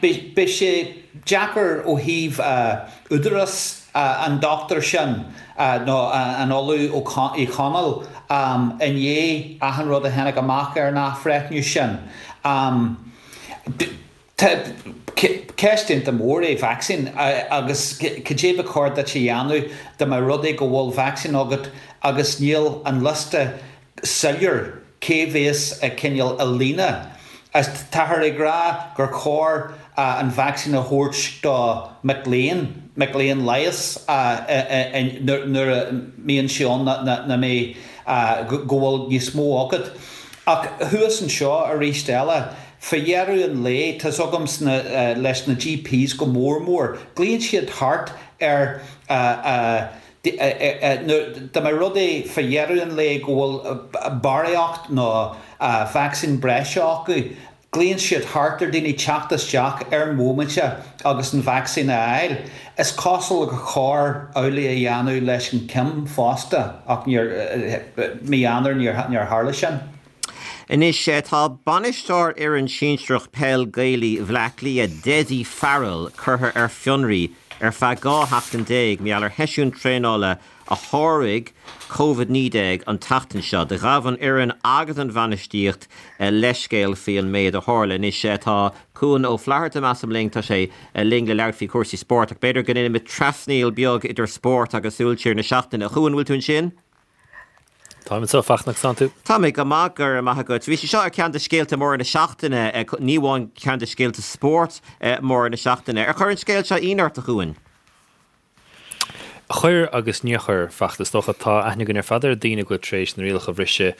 beidh, beidh sé deacair ó thaobh údarás an dochtúir sin nó an Ollamh Uí Chonaill i ndiaidh achan rud a tháinig amach ar an athbhreithniú sin. Ceist iontach mór é vacsaín agus cad é ba chóir duit a dhéanamh dá mba rud é go bhfuil vacsaín agat agus níl an liosta soiléir cé bhéas ag cineál i líne. Táthar ag rá gur chóir an vacsaín a thabhairt do mic léinn, mic léinn leighis nuair a mbíonn sé ann na mbeidh go bhfuil níos mó agat. Ach thuas anseo arís eile, fá dheireadh an lae, tá's agam sna, leis na GPs go mór mór, glaonn siad thart ar dá mba rud é fá dheireadh an lae go bhfuil barraíocht nó vacsaín breise acu, Glaonn siad thart ar daoine teacht isteach ar an bhomaite agus an vacsaín a fháil. Is cosúil gur chóir amhlaidh a dhéanamh leis an Cim fosta ach níor, mí Eanáir níor tharla sin. Anois tá bainisteoir fhoireann sinsearach peil Gaelaí Bhleá Cliath, Dessie Farrell, curtha ar fionraí ar feadh dhá sheachtain déag mar gheall ar sheisiún traenála a sháraigh Covid naoi déag an tseachtain seo. Do ghabh an fhoireann agus an bhainistíocht leithscéal faoi an méid a tharla. Anois tá Cuan Ó Flatharta, measaim, linn. Tá sé linn le labhairt faoi chúrsaí spóirt ach b'fhéidir go ndéanfaimid trasnaíl beag idir spórt agus súil siar na seachtaine. A Chuain, bhfuil tú ansin? Táim anseo, a Fhachtna, conas tánn tú? Tá mé go maith, go raibh maith agat. Bhí sé seo ar cheann de scéalta móra na seachtaine, ní amháin ceann de scéalta spóirt móra na seachtaine. Ar chuir an scéal seo ionadh ort, a Chuain? Chuir agus níor chuir, Fachtna. Is dócha, tá aithne againn ar fad ar daoine go bhfuil tar éis na rialacha a bhriseadh,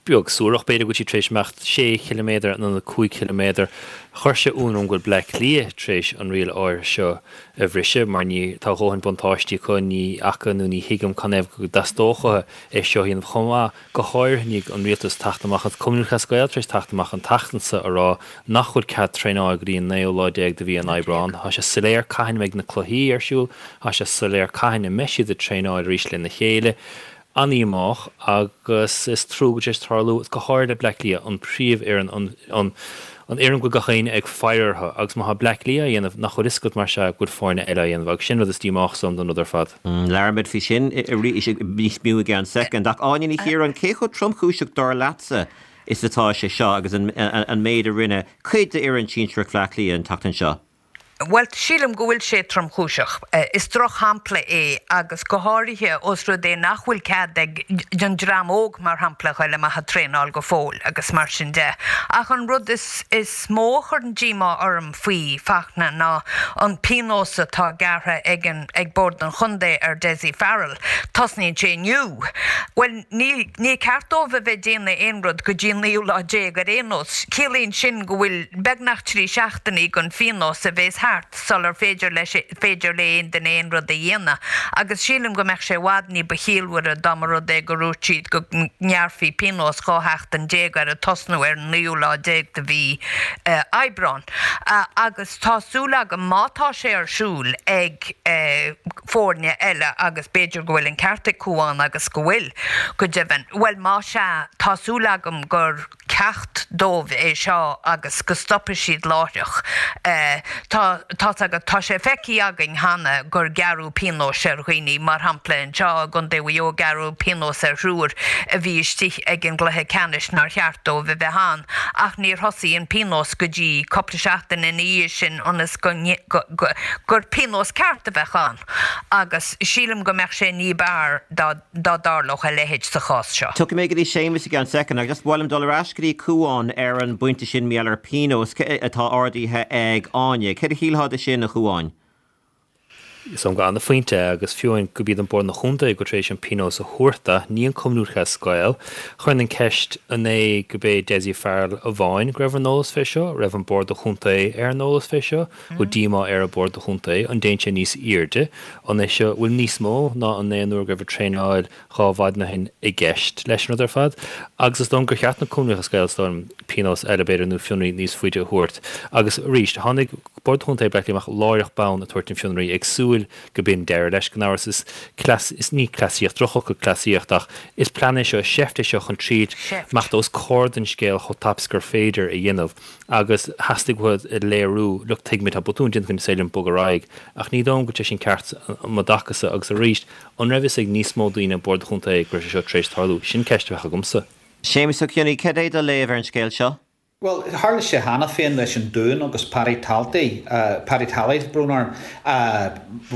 beag suarach b'fhéidir, go bhfuil siad tar éis imeacht sé chiliméadar in ionad cúig chiliméadar. Chuir sé ionadh orm go bhfuil Bleá Cliath tar éis an riail áirithe seo a bhriseadh mar ní, tá a dhóthain buntáistí acu, ní fhaca nó ní thuigim canathaobh go dteastódh uathu é seo a dhéanamh chomh maith. Go háirithe i ndiaidh an rialtas teacht amach agus Cumann Lúthchleas Gael tar éis teacht amach an tseachtain seo a rá nach bhfuil cead traenáil go dtí an naoú lá déag de mhí an Aibreáin. Tá sé soiléir cathain a mbeidh na cluichí ar siúl, tá sé soiléir cathain a mbeidh siad ag traenáil arís lena chéile. An-dhíomách agus is trua go bhfuil sé tar éis tarlú, go háirithe le Bleá Cliath, an príomhfhoireann, an, an, an fhoireann go bhfuil gach éinne ag faire orthu agus má tá Bleá Cliath á dhéanamh, nach bhfuil fhios agat mar sea go bhfuil foirne eile á dhéanamh agus sin rud is díomách dom den rud ar fad. Labhróimid faoi sin arís níos mó i gceann soicind. Ach Áine Ní Chiaráin, cé chomh tromchúiseach dar leatsa is atá sé seo agus an méid a rinne cuid d'fhoireann sinsearach Bhleá Cliath an tseachtain seo? Bhuel, sílim go bhfuil sé tromchúiseach. Is drochshampla é agus go háirithe ós rud é nach bhfuil cead ag an dream óg, mar shampla, a ghoil amach ag traenáil go fóill agus mar sin de. Ach an rud is mó a chuireann díomá orm faoi, Fachtna, ná an pionós atá gearrtha ag an ag Bord an Chontae ar Dessie Farrell. Tosnaíonn sé inniu. Bhuel, ní ní ceart dóibh a bheith ag déanamh aon rud go dtí an naoú lá déag ar aon nós. Ciallaíonn sin go bhfuil beagnach trí seachtainí den phionós a bhéas thart. ceart sular féidir leis féidir le aon duine aon rud a dhéanamh. Agus sílim go mbeadh sé i bhfad ní ba chiallmhaire dá mba rud é go ndúirt siad go ngearrfaí pionós dhá sheachtain déag air ag tosnú ar an naoú lá déag de mhí Aibreán. Agus tá súil agam má tá sé ar siúl ag foirne eile agus b'fhéidir go bhfuil an ceart ag Cúán agus go bhfuil, go deimhin, bhuel má sea, tá súil agam gur ceacht dóibh é seo agus go stopfaidh siad láithreach. Tá tá's agat, tá sé feicthe againn cheana gur gearradh pionóis ar dhaoine, mar shampla anseo i gContae Mhaigh Eo gearradh pionós ar thriúr a bhí istigh ag an gcluiche ceannais nár cheart dóibh a bheith ann ach níor thosaigh an pionós go dtí cúpla seachtain ina dhiaidh sin ionas go gur pionós ceart a bheadh ann agus sílim go mbeadh sé ní b'fhearr dá dá dtarlódh a leithéid sa chás seo. Tiocfaidh mé go dtí Séamus i gceann soicind ach just ba mhaith liom dul ar ais go dtí Cúán ar an bpointe sin mar gheall ar pionós atá ardaithe ag Áine. Céard a shílfeá de sin, a Chúáin? Is dóigh liom gur ana-phointe é agus fiú amháin gurb iad an Bord an Chontae go tar éis an pionós a thabhairt do, ní an Cumann Lúthchleas Gael. Chuirfinn an ceist an é gurb é Dessie Farrell amháin go raibh ar an eolas fé seo, raibh an Bord do Chontae ar an eolas fé seo, bhfuil díomá ar an Bord do Chontae, an dtéann sé níos airde, an é seo, bhfuil níos mó ná an aon uair go raibh ag traenáil dhá mhaidin ó shin i gceist leis an rud ar fad. Agus is dóigh liom gur cheart na Cumann Lúthchleas Gael is dóigh liom pionós eile b'fhéidir nó fionraí níos faide a thabhairt. Agus arís, tháinig Bord Chontae Bhaile Átha Cliath amach láithreach bonn ag tabhairt an fionraí ag súil go b'in deireadh leis gan amhras is cleas, is ní cleasaíocht, drochfhocal cleasaíocht ach is plean é seo, is seift é seo chun triail imeacht os comhair den scéal chomh tapa is gur féidir a dhéanamh agus theastaigh uathu a léiriú, look tuigimid tá botún déanta againn is féidir linn bogadh ar aghaidh ach ní dóigh liom go bhfuil sé sin ceart i mo dtaca-sa agus arís an raibh fhios ag níos mó daoine ag Bord an Chontae go raibh sé seo tar éis tarlú? Sin ceist a bheadh agamsa. Séamus Ó Cionnaith, cad é do léamh ar an scéal seo? Bhuel, tharla sé cheana féin leis an Dún agus Paddy Talty, Paddy Tally, brón orm,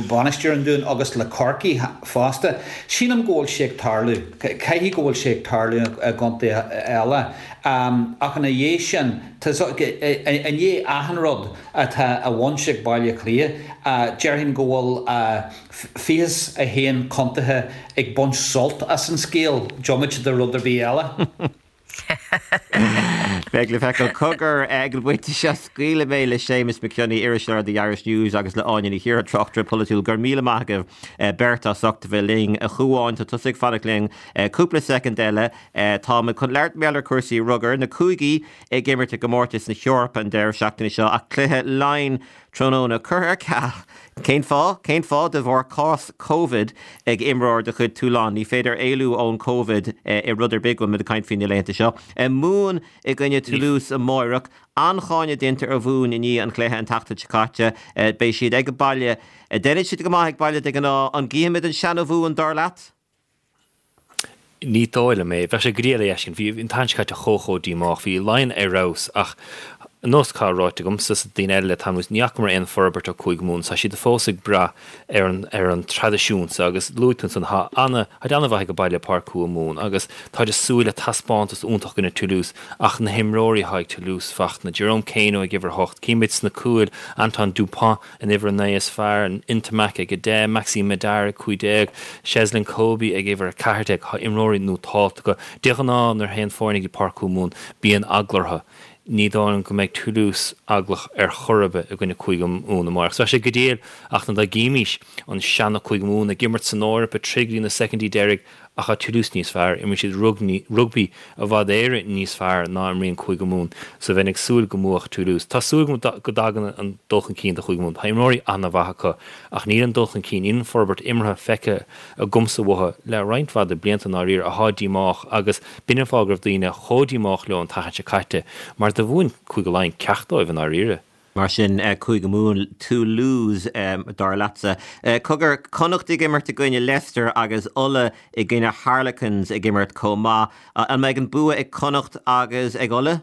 bainisteoir an Dúin, agus le Corcaigh fosta. Sílim go bhfuil sé ag tarlú. Caithfidh go bhfuil sé ag tarlú i gcontaetha eile. Ach ina dhiaidh sin, i ndiaidh achan rud atá á bhaint ag Baile Átha Cliath, déarfainn go bhfuil fiche is a haon contaetha ag baint sult as an scéal, diomaite de rud ar bith eile. Beidh le feiceáil. Cogar, ag an bpointe seo scaoilfidh mé le Séamus Mac Cionnaith, iriseoir The Irish News agus le Áine Ní Chiardha, tráchtaire polaitiúil. Go raibh míle maith agaibh beirt as ucht a bheith linn. A Chúáin, tá tusa ag fanacht linn cúpla soicind eile. Táimid chun labhairt mar gheall ar chúrsaí rugair, na cúigí ag imirt i gcomórtas na hEorpa an deireadh seachtaine seo ach cluiche Laighean tráthnóna curtha ar ceal. Cén fáth? Cén fáth? De bharr cás Covid ag imreoir de chuid Toulon. Ní féidir éalú ón Covid i rud ar bith go bhfuil muid ag caint faoi na laethanta seo. Mumhan i gcoinne Toulouse amáireach. An-cháineadh déanta ar Mhumhain i ndiaidh an chluiche an tseachtain seo caite. Beidh siad ag baile. Déanann siad go maith ag baile de ghnáth. An gcífimid an seana-Mhumhain dar leat? Ní dóigh liom é. Bheadh sé go diail é a fheiscint. Bhí an tseachtain seo caite chomh chomh díomách. Bhí Laighean ar fheabhas ach nós atá ráite agamsa is daoine eile le tamall anuas, ní fhacamar aon forbairt ó Cúige Mumhan. Tá siad fós ag brath ar an ar an traidisiún so agus luaigh tú ansan tá ana táid ana-mhaith ag baile i Páirc Chúige Mumhan agus táid ag súil le taispeántas iontach i gcoinne Toulouse ach na himreoirí atá ag Toulouse Fachtna, Jerome Kaino ag uimhir a hocht, címid sna cúil Antoine Dupont an uimhir a naoi is fearr, Ntamack ag a deich, Maxime Medard ag cúig déag, Cheslin Kolbe ag uimhir a ceathair déag. Tá imreoirí nótálta acu. De ghnáth nuair a théann foirne go dtí Páirc Chúige Mumhan bíonn eagla orthu. Ní dóigh liom go mbeidh Toulouse eaglach ar chor ar bith i gcoinne Cúige Mumhan amárach. So bheadh sé go diail ach dá gcímís an seana Cúige Mumhan ag imirt san Eoraip ag troid go dtí na soicindí deiridh Ach tá Toulouse níos fearr, imríonn siad rugbaí i bhfad Éireann níos fearr ná imríonn Cúige Mumhan, so bheinn ag súil go mbuafadh Toulouse. Tá súil agam go dtagann an dul chun cinn do Chúige Mumhan. Tá imreoirí an-mhaith acu, ach níl an dul chun cinn, níl an forbairt imeartha feicthe agamsa uathu le roinnt mhaith de blianta i ndáiríre, atá díomách agus b'in an fáth go raibh daoine chomh díomách leo an tseachtain seo caite, mar do mhúin Cúige Laighean ceacht dóibh i ndáiríre. Mar sin, Cúige Mumhan, Toulouse, dar leatsa. Cogar, Connacht ag imirt i gcoinne Leicester agus Ulaidh i gcoinne Harlequins ag imirt chomh maith. An mbeidh an bua ag Connacht agus ag Ulaidh?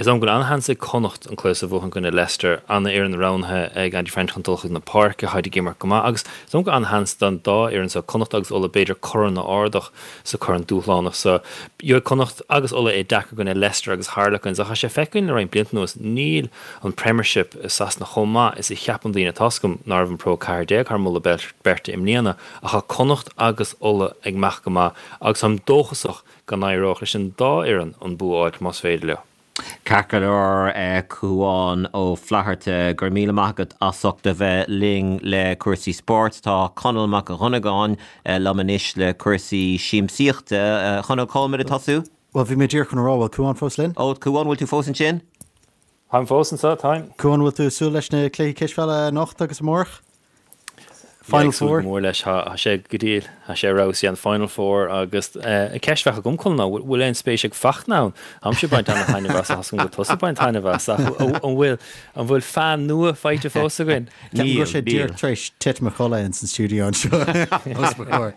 Is dóigh liom go bhfuil an-sheans ag Connacht an cluiche seo a bhuachan i gcoinne Leicester. An-fhoireann roghnaithe ag Andy Friend chun dul chuig na páirce, táid ag imirt go maith agus is dóigh liom go bhfuil an-sheans don dá fhoireann seo, Connacht agus Ulaidh, b'fhéidir corn a ardach sa corn dúshlánach seo. Gheobhaidh Connacht agus Ulaidh é deacair i gcoinne Leicester agus Harlequins ach tá sé feicthe againn le roinnt blianta anuas, níl an Premiership i Sasana chomh maith is a cheapann daoine. Tá's agam ná raibh an Pro ceathair déag thar moladh beirte i mbliana ach tá Connacht agus Ulaidh ag imeacht go maith agus táim dóchasach go n-éireodh leis an dá fhoireann an bua a fháilt más féidir leo. Ceart go leor Cúán Ó Flatharta, go raibh míle maith agat as ucht a bheith linn le cúrsaí spóirt. Tá Conall Mac Dhonnagáin liom anois le cúrsaí siamsaíochta. Chonall cá bhfuil muid ag tosú? Bhuel, bhí mé díreach chun a rá, bhfuil Cúán fós linn? Ó, Cúán, bhfuil tú fós ansin? Táim fós anseo, táim. Cúán, bhfuil tú ag súil leis na cluichí cispheile anocht agus amárach? Final Four? Mór leis, tá sé go diail, tá sé rosí an Final Four agus an cheist a bheadh agam Conall ná, bhfuil aon spéis ag Fachtna ann? Táimse ag baint ana-thaitneamh as, tá a fhios agam go bhfuil tusa ag baint taitneamh as, ach an bhfuil an bhfuil fan nua faighte fós againn? Ceapaim go bhfuil sé díreach tar éis titim a chodladh ins an stiúideo anseo os mo chomhair.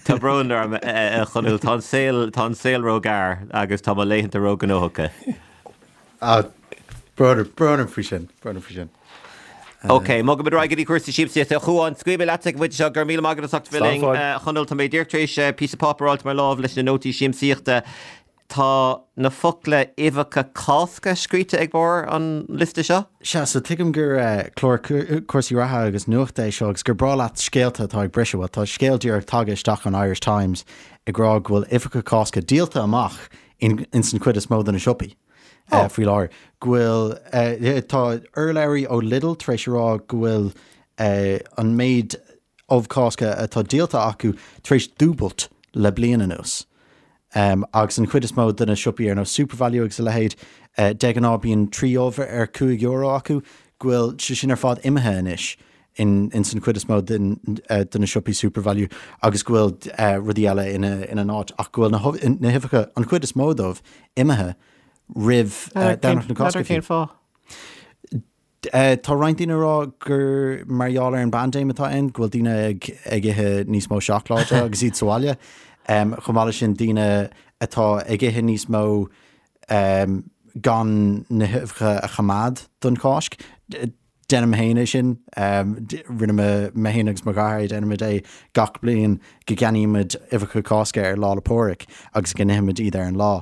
Tá brón orm, a Chonaill, tá an saol, tá an saol róghearr agus tá mo laethanta róghnóthach. Ah, brón, brón orm faoi sin, brón orm faoi sin. Ok, bogfaimid ar aghaidh go dtí cúrsaí siamsaíochta. A Chuáin, scaoilfidh mé leatsa ag an bpointe seo, go raibh míle maith agat as ucht a bheith linn. A Chonaill, tá mé díreach tar éis píosa páipéir a fháilt i mo lámh leis na nótaí siamsaíochta. Tá na focla uibheacha Cásca scríte ag barr an liosta seo. Sea, so tuigim gur clár cúrsaí reatha agus nuachta é seo agus gur breá leat scéalta atá ag briseadh. Bhuel, tá scéal díreach tagtha isteach ón Irish Times ag rá go bhfuil uibheacha Cásca díolta amach in ins an chuid is mó de na siopaí faoi láthair. Go bhfuil, tá urlabhraí ó Lidl tar éis a rá go bhfuil an méid ubh Cásca atá díolta acu tar éis dúbailt le bliain anuas. Agus an chuid is mó de na siopaí ar nós SuperValu agus a leithéid, de ghnáth bíonn trí ubh ar cúig euro acu, go bhfuil sé sin ar fad imithe anois in ins an chuid is mó de na siopaí SuperValu agus go bhfuil rudaí eile ina ina n-áit ach go bhfuil na na huibheacha, an chuid is mó dóibh, imithe roimh Domhnach na Cásca fiú. Cén fáth? Tá roinnt daoine ag rá gur mar gheall ar an bpaindéim atá ann, go bhfuil daoine ag ag ithe níos mó seacláide agus iad sa bhaile. Chomh maith leis sin, daoine atá ag ithe níos mó gan na huibheacha a choimeád don Cháisc. Déanaim féin é sin. Rinne mé mé féin agus mo dheartháir, déanaimid é gach bliain go gceannaímid uibheacha Cásca ar Lá 'le Pádraig agus go n-ithimid iad ar an lá.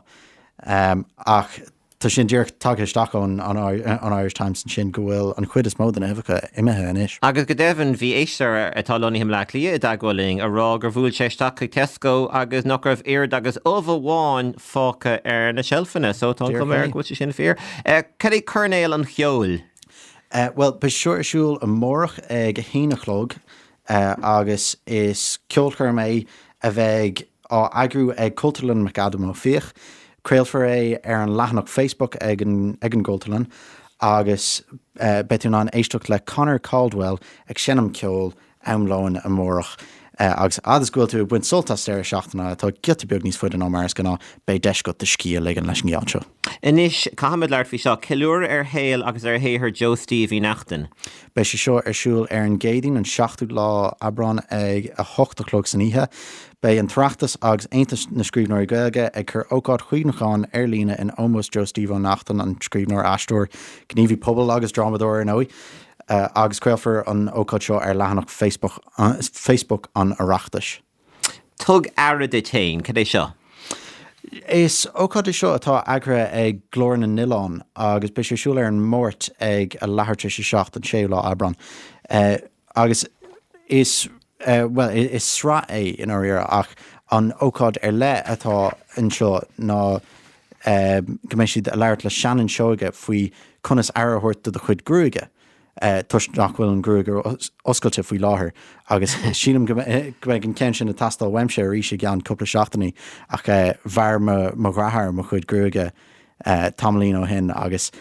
Ach Tá sin díreach tagtha isteach ón an Irish Times ansin go bhfuil an chuid is mó de na huibheacha imithe anois. Agus go deimhin, bhí éisteoir atá lonnaithe i mBleá Cliath i dteagmháil linn a rá gur bhuail sé isteach chuig Tesco agus nach raibh oiread agus ubh amháin fágtha ar na seilfeanna. So tá an chuma air go bhfuil sé sin fíor. Cad é Coirnéal an Cheoil? Bhuel, beidh seo ar siúl amárach ag a haon a chlog agus is ceolchoirm é a bheidh á eagrú ag Cultúrlann McAdam Ó Fiaich. Craolfar é ar an leathanach Facebook ag an ag an gCultúrlann agus beidh tú in ann éisteacht le Conor Caldwell ag seinm ceoil am lóin amárach. Agus fhad is go bhfuil tú ag baint sult as deireadh seachtaine atá giota beag níos faide ná mar is gnáth, beidh deis agat do scíth a ligean leis an gceol seo. Anois, caithfimid labhairt faoi seo, ceiliúradh ar shaol agus ar shaothar Joe Steve Uí Neachtain. Beidh sé seo ar siúl ar an gCéadaoin, an seachtú lá Aibreán ag a hocht a chlog san oíche. Beidh an tOireachtas agus Aontas na Scríbhneoirí Gaeilge ag cur ócáid chuimhneacháin ar líne in ómós Joe Steve Ó Neachtain, an scríbhneoir, aisteoir, gníomhaí pobail agus drámadóir ar ndóigh, agus craolfar an ócáid seo ar leathanach Facebook an Oireachtais. Tug aire duit féin, cad é seo? Is ócáid é seo atá eagraithe ag Glór na nOileán agus beidh sé ar siúl ar an Máirt ag a leathuair tar éis a seacht, an séú lá Aibreán. Agus is, bhuel, is sraith é i ndáiríre ach an ócáid ar leith atá anseo ná go mbeidh siad ag labhairt le Shannon Seoige faoi conas aire a thabhairt do do chuid gruaige toisc nach bhfuil an ghruaig oscailte faoi láthair agus sílim go mbeidh an ceann sin ag teastáil uaimse arís i gceann cúpla seachtainí ach bhearr mo dheartháir mo chuid gruaige tamaillín ó shin agus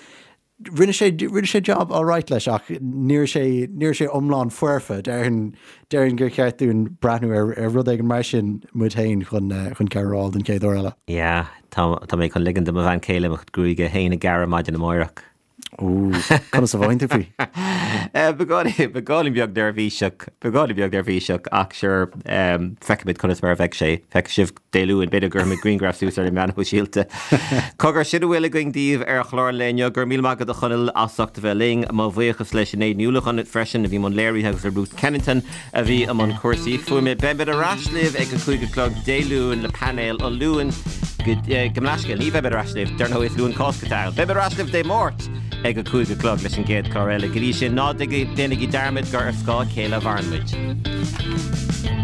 Rinne sé, rinne sé job alright leis ach ní raibh sé, ní raibh sé iomlán foirfe. Déarfainn, déarfainn gur cheart dúinn breathnú ar, ar rud éigin mar sin muid féin chun, chun cabhair a fháil don chéad uair eile. Yeah, tá, tá mé chun ligean do mo bhean chéile mo chuid gruaige féin a ghearradh maidin amáireach. Ooh, conas a mhothaíonn tú faoi? Beagáinín, beagáinín beag neirbhíseach, beagáinín beag neirbhíseach ach sure, feicfimid conas mar a bheidh sé. Feicfidh sibh Dé Luain, b'fhéidir go gcuirfimid grianghraf suas ar na meáin shóisialta. Cogar, sin a bhfuil againn daoibh ar chlár an lae inniu. Go raibh míle maith agat a Chonaill as ucht a bheith linn. Mo bhuíochas le Sinéad Ní Uallacháin freisin a bhí i mbun léirithe agus le Ruth Kennington a bhí i mbun cúrsaí fuaime. Beimid ar ais libh ag a cúig a chlog Dé Luain le painéal an Luain. Gabh mo leithscéal, ní bheimid ar ais libh, dar ndóigh is Luan Cásca atá ann. Beimid ar ais libh Dé Máirt ag a cúig a chlog leis an gcéad chlár eile. Go dtí sin, ná déanaigí dearmad gur ar scáth a chéile a mhaireann muid.